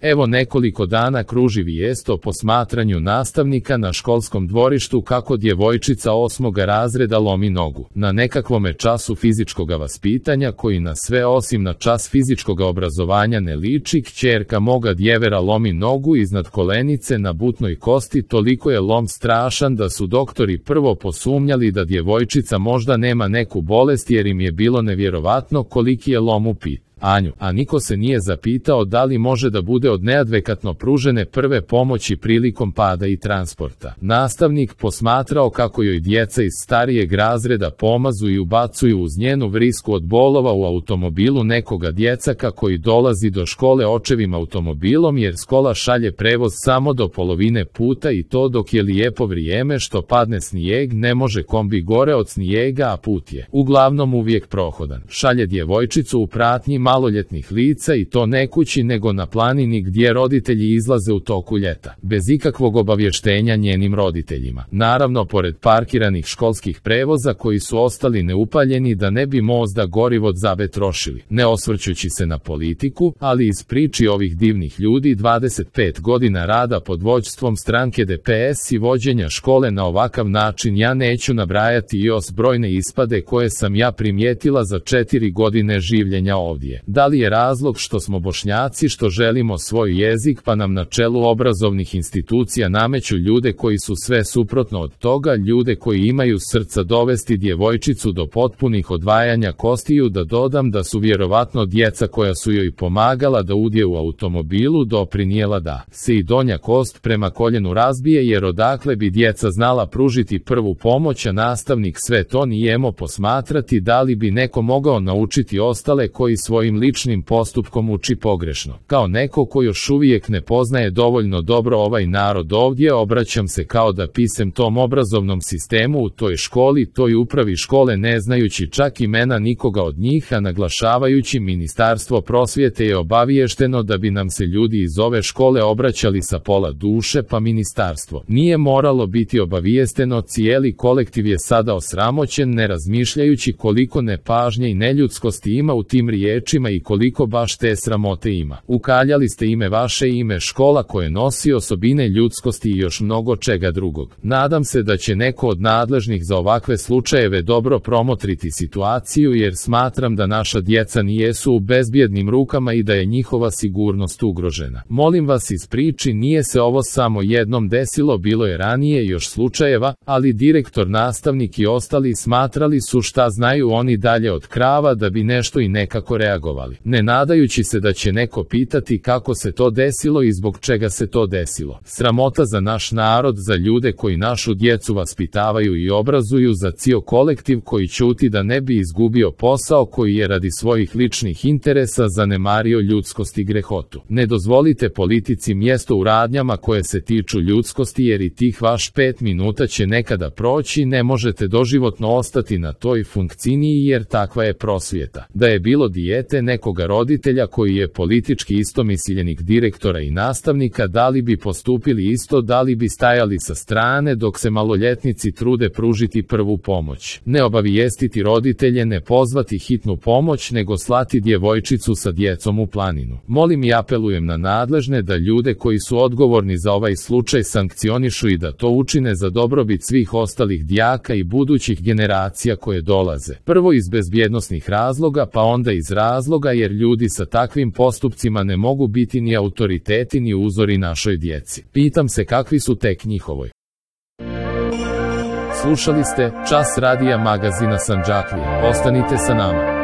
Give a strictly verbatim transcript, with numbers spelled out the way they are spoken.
Evo nekoliko dana kruži vijest o posmatranju nastavnika na školskom dvorištu kako djevojčica osmoga razreda lomi nogu. Na nekakvome času fizičkoga vaspitanja koji na sve osim na čas fizičkoga obrazovanja ne liči, kćerka moga djevera lomi nogu iznad kolenice na butnoj kosti. Toliko je lom strašan da su doktori prvo posumnjali da djevojčica možda nema neku bolest jer im je bilo nevjerovatno koliki je lom u pitanju. Anju, a niko se nije zapitao da li može da bude od neadekvatno pružene prve pomoći prilikom pada i transporta. Nastavnik posmatrao kako joj djeca iz starijeg razreda pomazu i ubacuju uz njenu vrisku od bolova u automobilu nekoga djecaka koji dolazi do škole očevim automobilom jer škola šalje prevoz samo do polovine puta i to dok je lijepo vrijeme što padne snijeg ne može kombi gore od snijega a put je uglavnom uvijek prohodan. Šalje djevojčicu u pratnji maloljetnih lica i to ne kući nego na planini gdje roditelji izlaze u toku ljeta, bez ikakvog obavještenja njenim roditeljima. Naravno, pored parkiranih školskih prevoza koji su ostali neupaljeni da ne bi možda gorivo džabe trošili. Ne osvrćući se na politiku, ali iz priči ovih divnih ljudi dvadeset pet godina rada pod vođstvom stranke D P S i vođenja škole na ovakav način ja neću nabrajati još brojne ispade koje sam ja primijetila za četiri godine življenja ovdje. Da li je razlog što smo Bošnjaci što želimo svoj jezik pa nam na čelu obrazovnih institucija nameću ljude koji su sve suprotno od toga, ljude koji imaju srca dovesti djevojčicu do potpunih odvajanja kostiju, da dodam da su vjerovatno djeca koja su joj pomagala da udje u automobilu doprinijela da se i donja kost prema koljenu razbije jer odakle bi djeca znala pružiti prvu pomoć, a nastavnik sve to nijemo posmatrati da li bi neko mogao naučiti ostale koji svojim ličnim postupkom uči pogrešno. Kao neko ko još uvijek ne poznaje dovoljno dobro ovaj narod ovdje, obraćam se kao da pisem tom obrazovnom sistemu u toj školi, toj upravi škole ne znajući čak imena nikoga od njih, a naglašavajući Ministarstvo prosvjete je obaviješteno da bi nam se ljudi iz ove škole obraćali sa pola duše, pa ministarstvo nije moralo biti obavijesteno. Cijeli kolektiv je sada osramoćen ne razmišljajući koliko nepažnje i neljudskosti ima u tim riječima i koliko baš te sramote ima. Ukaljali ste ime vaše ime škola koje nosi osobine ljudskosti i još mnogo čega drugog. Nadam se da će neko od nadležnih za ovakve slučajeve dobro promotriti situaciju jer smatram da naša djeca nijesu u bezbjednim rukama i da je njihova sigurnost ugrožena. Molim vas, iz priči nije se ovo samo jednom desilo, bilo je ranije još slučajeva, ali direktor, nastavnik i ostali smatrali su šta znaju oni dalje od krava da bi nešto i nekako reagovali. Ne nadajući se da će neko pitati kako se to desilo i zbog čega se to desilo. Sramota za naš narod, za ljude koji našu djecu vaspitavaju i obrazuju, za cijel kolektiv koji ćuti da ne bi izgubio posao koji je radi svojih ličnih interesa zanemario ljudskost i grehotu. Ne dozvolite politici mjesto u radnjama koje se tiču ljudskosti jer i tih vaš pet minuta će nekada proći, ne možete doživotno ostati na toj funkciji jer takva je prosvjeta. Da je bilo dijete nekoga roditelja koji je politički istomišljenik direktora i nastavnika, da li bi postupili isto, da li bi stajali sa strane dok se maloljetnici trude pružiti prvu pomoć. Ne obavijestiti roditelje, ne pozvati hitnu pomoć, nego slati djevojčicu sa djecom u planinu. Molim i apelujem na nadležne da ljude koji su odgovorni za ovaj slučaj sankcionišu i da to učine za dobrobit svih ostalih đaka i budućih generacija koje dolaze. Prvo iz bezbjednosnih razloga, pa onda iz razloga jer ljudi sa takvim postupcima ne mogu biti ni autoriteti ni uzori našoj djeci. Pitam se kakvi su tek njihovoj. Slušali ste Čas radija magazina Sandžaklija. Ostanite sa nama.